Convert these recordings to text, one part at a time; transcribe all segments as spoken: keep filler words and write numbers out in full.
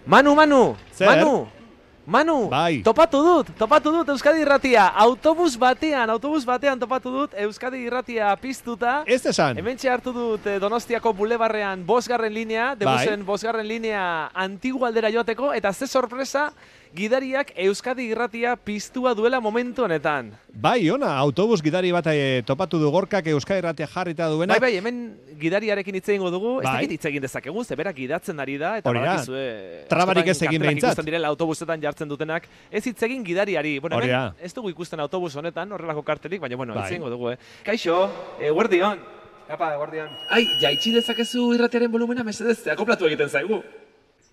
Manu, Manu, Zer? Manu, Manu, Bai. topatu dut, topatu dut Euskadi Irratia, autobus batean, autobus batean topatu dut Euskadi Irratia piztuta. Ez esan. Hementxe hartu dut eh, Donostiako bulebarrean bosgarren linea, debusen bosgarren linea antigu aldera joateko, eta ze sorpresa, gidariak Euskadi Irratia piztua duela momentu honetan. Bai, ona, autobus gidari bat e, topatu du Gorkak Euskadi Irratia jarrita duena. Bai, bai, hemen gidariarekin hitz egingo dugu, ez Bai. dakit hitz egin dezakegu, ze berak gidatzen ari da, eta Hori da. badakizue, Trabarik askotan ez egin kartelak behintzat. ikusten direla autobusetan jartzen dutenak, ez hitz egin gidariari. Bueno, Hori hemen da. ez dugu ikusten autobus honetan, horrelako kartelik, baina bueno, Bai. hitz egingo dugu, eh. Kaixo, eguerdion. Apa, guardian. Ai, jaitsi dezakezu irratiaren volumena mesedez, akoplatu egiten zaigu.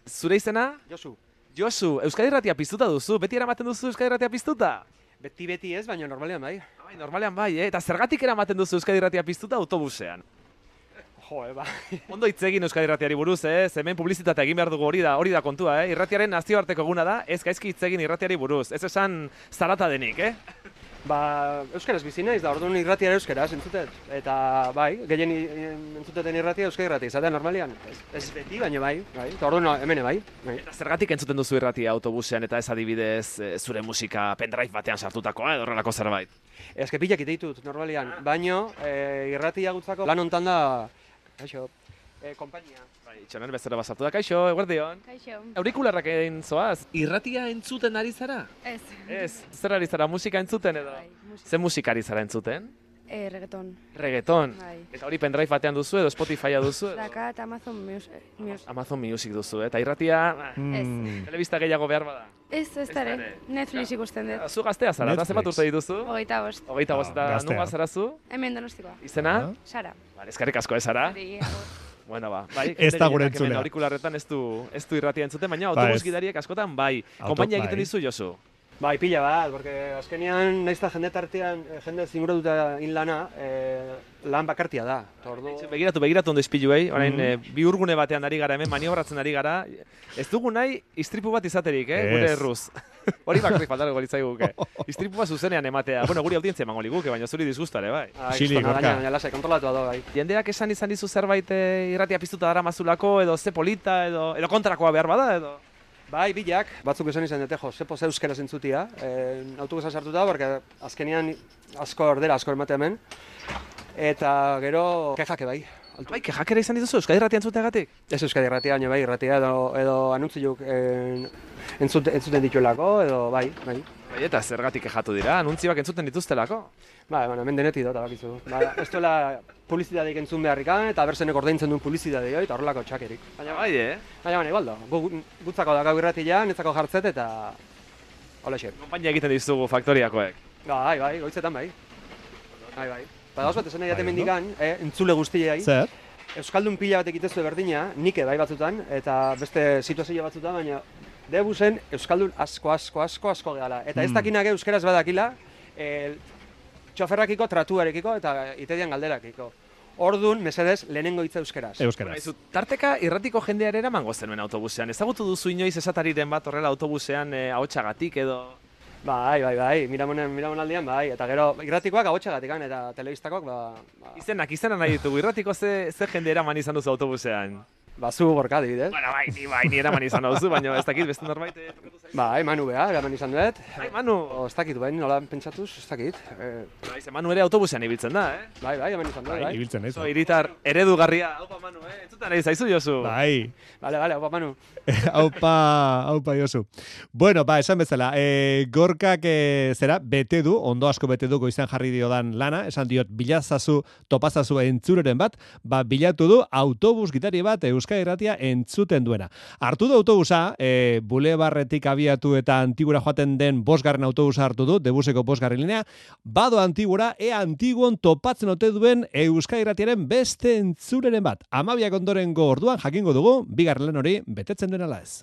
Zure izena? Josu. Josu, Euskadi Irratia piztuta duzu, beti eramaten duzu Euskadi Irratia piztuta? Beti-beti ez, baina normalean bai. Bai, normalean bai, eh? Eta zergatik eramaten duzu Euskadi Irratia piztuta autobusean? Jo, eba. Ondo hitz egin Euskadi Irratiari buruz, eh? Ze hemen publizitatea egin behar dugu, hori da, hori da kontua, eh? Irratiaren nazioarteko eguna da, ez gaizki hitz egin irratiari buruz. Ez esan zarata denik, eh? Ba, euskaraz bizi naiz da, orduan irratia euskaraz entzutet. Eta bai, gehien i- entzuteten irratia euskadi irratia izatea normalean. Ez, ez beti, baina bai, bai. Eta orduan hemen bai. bai. Eta zergatik entzuten duzu irratia autobusean eta ez adibidez eh, zure musika pendrive batean sartutakoa edo horrelako zerbait? Ez que pilak ditut normalean, baino e, irratia gutzako lan hontan da, kaixo, e, kompainia. Bai, txonen bezala basartu da, kaixo, eguerdion. Kaixo. Aurikularrak egin zoaz. Irratia entzuten ari zara? Ez. Ez, zer ari zara, musika entzuten edo? Bai, musika. Ze musika ari zara entzuten? Eh, reggaeton. Reggaeton. Bai. Eta hori pendrive batean duzu edo Spotifya duzu edo? Daka eta Amazon Music. Music. Amazon Music duzu, eh? Eta irratia, Mm. telebista gehiago behar bada. Ez, ez da dara. ere. Netflix ikusten dut. Zu gaztea zara, eta Netflix. zenbat urte dituzu? Hogeita bost. Hogeita bost, Ah, eta gaztea. nunga zara zu? Hemen donostikoa. Izena? Ah. Sara. Vale, eskerrik asko ez zara. Hori, agur. Bueno, ba, bai, Ez da jende gure gehienak hemen entzulea. aurikularretan ez du, ez du irratia entzuten, baina Ba, autobus ez. gidariek askotan bai. Auto- Konpainia bai. egiten dizu, Josu? Bai, pila bat, porque azkenean nahiz eta jende tartean, eh, jende zinguratuta in lana, eh, lan bakartia da. Eta ordu... Begiratu, begiratu ondo izpiluei, orain Mhm. eh, bi urgune batean ari gara hemen, maniobratzen ari gara. Ez dugu nahi istripu bat izaterik, eh, gure Ez. erruz. Hori bakarrik faltarko litzaiguke. Istripu bat zuzenean ematea. Bueno, guri audientzia emango liguke, baina zuri disgustare, bai. Ah, Xili, kristona, Gorka. baina, baina lasai, kontrolatua da, bai. Jendeak esan izan dizu zerbait eh, irratia piztuta dara mazulako, edo ze polita, edo, edo kontrakoa behar bada, edo... Bai, bilak, batzuk esan izan dute, jo, zepo ze euskaraz entzutia, eh, autobusa sartuta, porque azkenean asko ordera, asko emate hemen, eta gero kejake bai. Altu. Bai, kejakera izan dituzu, Euskadi irratia entzuteagatik? Ez euskadi irratia, baina bai, irratia edo, edo anuntziuk eh, entzute, entzuten dituelako, edo bai, bai. Bai, eta zergatik kejatu dira, anuntzioak entzuten dituztelako. Ba, bueno, hemen denetik dut, bakizu. Ba, ez duela publizitateik entzun beharrikan, eta berzenek ordaintzen duen publizitatea eta horrelako txakerik. Baina, Bai, eh? baina, baina, igual da, gu, gutzako da gau irratia, netzako jartzet, eta hola xe. Konpainia egiten dizugu faktoriakoek. Bai, bai, goitzetan bai. Bai, bai. Ba, gauz bat esan nahi Bai, jaten ondo. mendikan, eh, entzule guztiei. Zer? Euskaldun pila bat egitezu berdina, nike bai batzutan, eta beste situazio batzutan, baina debusen Euskaldun asko, asko, asko, asko gehala. Eta ez Hmm. dakinak euskaraz badakila, eh, txoferrakiko, tratuarekiko eta itedian galderakiko. Ordun, mesedez, lehenengo hitza euskaraz. Euskaraz. Aizu, tarteka irratiko jendeare eramango zenuen autobusean. Ezagutu duzu inoiz esatariren bat horrela autobusean eh, ahotsagatik edo... Bai, bai, bai, miramonen, miramonaldian, bai, eta gero irratikoak agotxagatik eta telebistakoak, ba, ba, Izenak, izena nahi ditugu, irratiko ze, ze jende eraman izan duzu autobusean. ba zu Gorka adibidez. Bueno, bai, ni bai, ni eraman izan duzu, baina ez dakit beste norbait eh, tokatu zaizu. Bai, Manu beha, eraman izan dut. Bai, Manu. O, ez dakit, bai, nola pentsatuz, ez dakit. Eh, Bai, ze Manu ere autobusean ibiltzen da, eh? bai, bai, eman izan dut, bai. Ibiltzen naiz. Zo, hiritar eredugarria. Haupa, Manu, eh? Entzutan nahi zaizu, Josu. Bai. Bale, bale, opa, Manu. Aupa, aupa Josu. Bueno, ba, esan bezala, e, Gorkak e, zera, bete du, ondo asko bete du goizan jarri diodan lana, esan diot, bilazazu, topazazu entzureren bat, ba, bilatu du autobus gitari bat Euskadi Irratia entzuten duena. Hartu du autobusa, e, bulebarretik abiatu eta Antigura joaten den bosgarren autobusa hartu du, debuseko bosgarren linea, bado Antigura, ea Antiguon topatzen ote duen Euskadi Irratiaren beste entzureren bat. Amabiak ondorengo orduan jakingo dugu, bigarren lan hori betetzen duen ala ez.